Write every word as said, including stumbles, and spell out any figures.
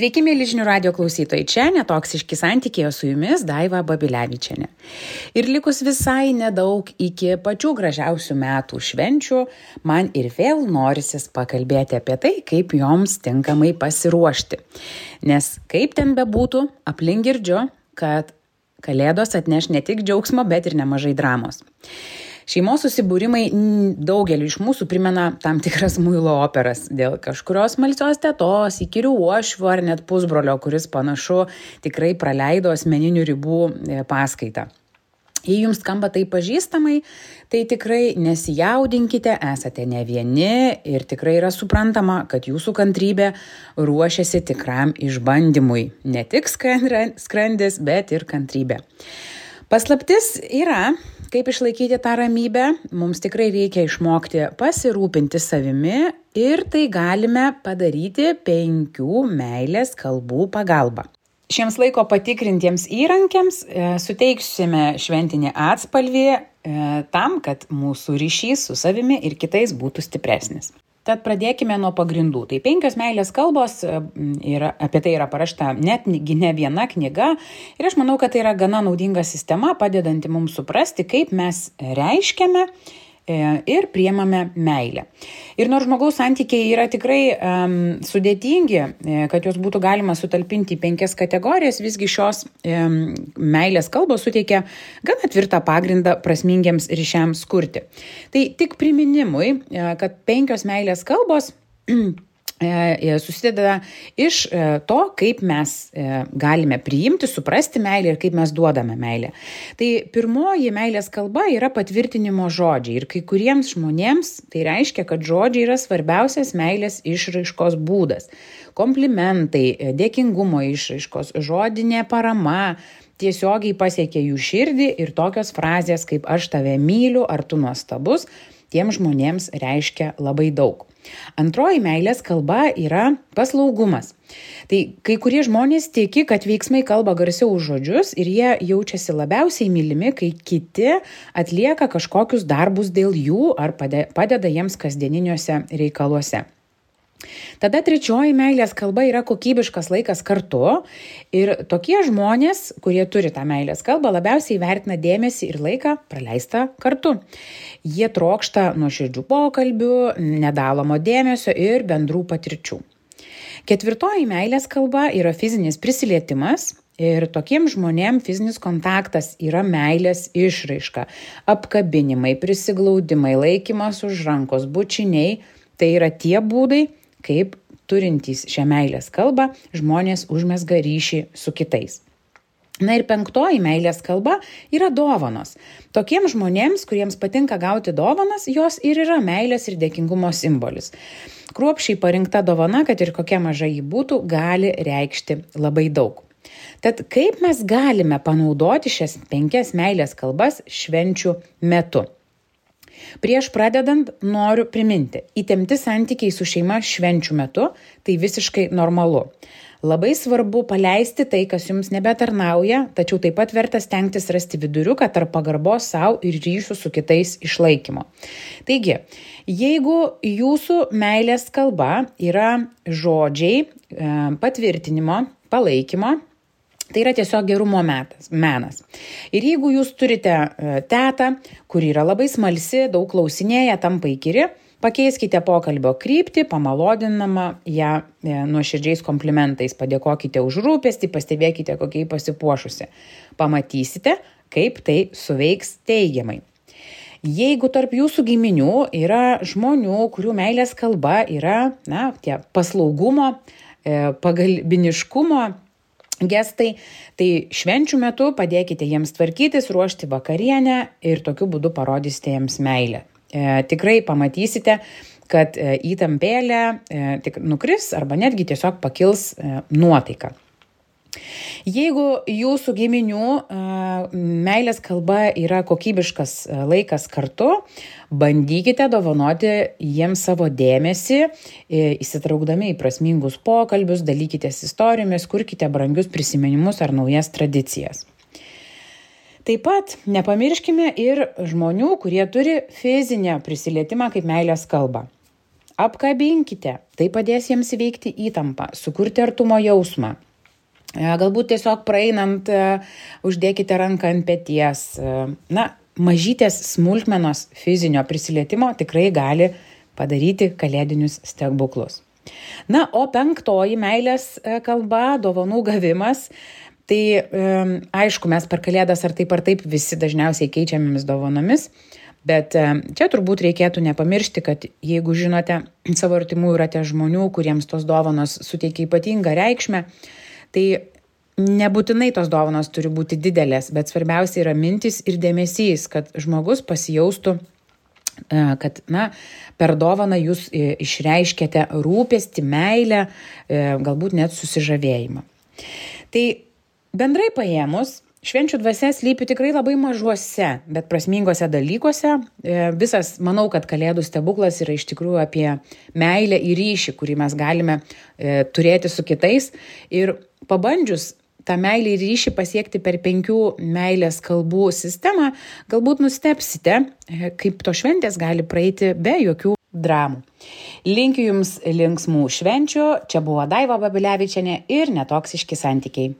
Sveiki, mėly žinių radio klausytojai, čia Netoksiški santykiai, o su jumis Daiva Babilevičienė. Ir likus visai nedaug iki pačių gražiausių metų švenčių, man ir vėl norisis pakalbėti apie tai, kaip joms tinkamai pasiruošti. Nes kaip ten bebūtų, aplink girdžiu, kad kalėdos atneš ne tik džiaugsmo, bet ir nemažai dramos. Šeimos susibūrimai daugeliu iš mūsų primena tam tikras muilo operas dėl kažkurios smalsios tetos, įkyrių uošvių ar net pusbrolio, kuris panašu tikrai praleido asmeninių ribų paskaitą. Jei jums skamba tai pažįstamai, tai tikrai nesijaudinkite, esate ne vieni ir tikrai yra suprantama, kad jūsų kantrybė ruošiasi tikram išbandymui. Ne tik skrandis, bet ir kantrybė. Paslaptis yra, kaip išlaikyti tą ramybę, mums tikrai reikia išmokti pasirūpinti savimi ir tai galime padaryti penkių meilės kalbų pagalba. Šiems laiko patikrintiems įrankiams e, suteiksime šventinį atspalvį e, tam, kad mūsų ryšys su savimi ir kitais būtų stipresnis. Tad pradėkime nuo pagrindų. Tai penkios meilės kalbos, yra, apie tai yra parašta net ne viena knyga ir aš manau, kad tai yra gana naudinga sistema, padedanti mums suprasti, kaip mes reiškiame ir priemame meilę. Ir nors žmogaus santykiai yra tikrai um, sudėtingi, kad jos būtų galima sutalpinti į penkias kategorijas, visgi šios um, meilės kalbos suteikia gana tvirtą pagrindą prasmingiems ryšiams kurti. Tai tik priminimui, kad penkios meilės kalbos susideda iš to, kaip mes galime priimti, suprasti meilę ir kaip mes duodame meilę. Tai pirmoji meilės kalba yra patvirtinimo žodžiai ir kai kuriems žmonėms tai reiškia, kad žodžiai yra svarbiausias meilės išraiškos būdas. Komplimentai, dėkingumo išraiškos, žodinė parama tiesiogiai pasiekia jų širdį ir tokios frazės kaip aš tave myliu ar tu nuostabus tiem žmonėms reiškia labai daug. Antroji meilės kalba yra paslaugumas. Tai kai kurie žmonės tiki, kad veiksmai kalba garsiau už žodžius ir jie jaučiasi labiausiai mylimi, kai kiti atlieka kažkokius darbus dėl jų ar padeda jiems kasdieniniuose reikaluose. Tada trečioji meilės kalba yra kokybiškas laikas kartu ir tokie žmonės, kurie turi tą meilės kalbą, labiausiai vertina dėmesį ir laiką praleistą kartu. Jie trokšta nuoširdžių pokalbių, nedalomo dėmesio ir bendrų patirčių. Ketvirtoji meilės kalba yra fizinis prisilietimas ir tokiems žmonėms fizinis kontaktas yra meilės išraiška. Apkabinimai, prisiglaudimai, laikymas už rankos, bučiniai – tai yra tie būdai, kaip turintys šią meilės kalbą žmonės užmezga ryšį su kitais. Na ir penktoji meilės kalba yra dovanos. Tokiems žmonėms, kuriems patinka gauti dovanas, jos ir yra meilės ir dėkingumo simbolis. Kruopščiai parinkta dovana, kad ir kokia maža ji būtų, gali reikšti labai daug. Tad kaip mes galime panaudoti šias penkias meilės kalbas švenčių metu? Prieš pradedant noriu priminti, įtempti santykiai su šeima švenčių metu tai visiškai normalu. Labai svarbu paleisti tai, kas jums nebetarnauja, tačiau taip pat verta stengtis rasti viduriuką tarp pagarbos sau ir ryšių su kitais išlaikymo. Taigi, jeigu jūsų meilės kalba yra žodžiai, patvirtinimo, palaikymo, tai yra tiesiog gerumo metas, menas. Ir jeigu jūs turite tetą, kuri yra labai smalsi, daug klausinėja, tampa įkyri, pakeiskite pokalbio kryptį, pamalodinama ją nuoširdžiais komplimentais, padėkokite už rūpestį, pastebėkite, kokiai pasipuošusi. Pamatysite, kaip tai suveiks teigiamai. Jeigu tarp jūsų giminių yra žmonių, kurių meilės kalba yra na, tie paslaugumo, pagalbiniškumo gestai, tai švenčių metu padėkite jiems tvarkytis, ruošti vakarienę ir tokiu būdu parodysite jiems meilę. E, tikrai pamatysite, kad e, įtampėlė e, tik nukris arba netgi tiesiog pakils e, nuotaika. Jeigu jūsų giminių e, meilės kalba yra kokybiškas e, laikas kartu, bandykite dovanoti jiems savo dėmesį, e, įsitraukdami į prasmingus pokalbius, dalykitės istorijomis, kurkite brangius prisiminimus ar naujas tradicijas. Taip pat nepamirškime ir žmonių, kurie turi fizinę prisilietimą kaip meilės kalbą. apkabinkite, tai padės jiems įveikti įtampą, sukurti artumo jausmą. Galbūt tiesiog praeinant, uždėkite ranką ant peties. Na, mažytės smulkmenos fizinio prisilietimo tikrai gali padaryti kalėdinius stebuklus. Na, o penktoji meilės kalba, dovanų gavimas. Tai aišku, mes per kalėdas ar taip ar taip visi dažniausiai keičiamėmis dovanomis, bet čia turbūt reikėtų nepamiršti, kad jeigu žinote savo artimųjų rate žmonių, kuriems tos dovanos suteikia ypatingą reikšmę, tai nebūtinai tos dovanos turi būti didelės, bet svarbiausia yra mintis ir dėmesys, kad žmogus pasijaustų, kad na, per dovaną jūs išreiškėte rūpestį, meilę, galbūt net susižavėjimą. Tai bendrai paėmus, švenčių dvasia slypi tikrai labai mažuose, bet prasmingose dalykuose. Visas, manau, kad Kalėdų stebuklas yra iš tikrųjų apie meilę ir ryšį, kurį mes galime turėti su kitais. Ir pabandžius tą meilę ir ryšį pasiekti per penkių meilės kalbų sistemą, galbūt nustebsite, kaip to šventės gali praeiti be jokių dramų. Linkiu Jums linksmų švenčių. Čia buvo Daiva Babilevičienė ir Netoksiški santykiai.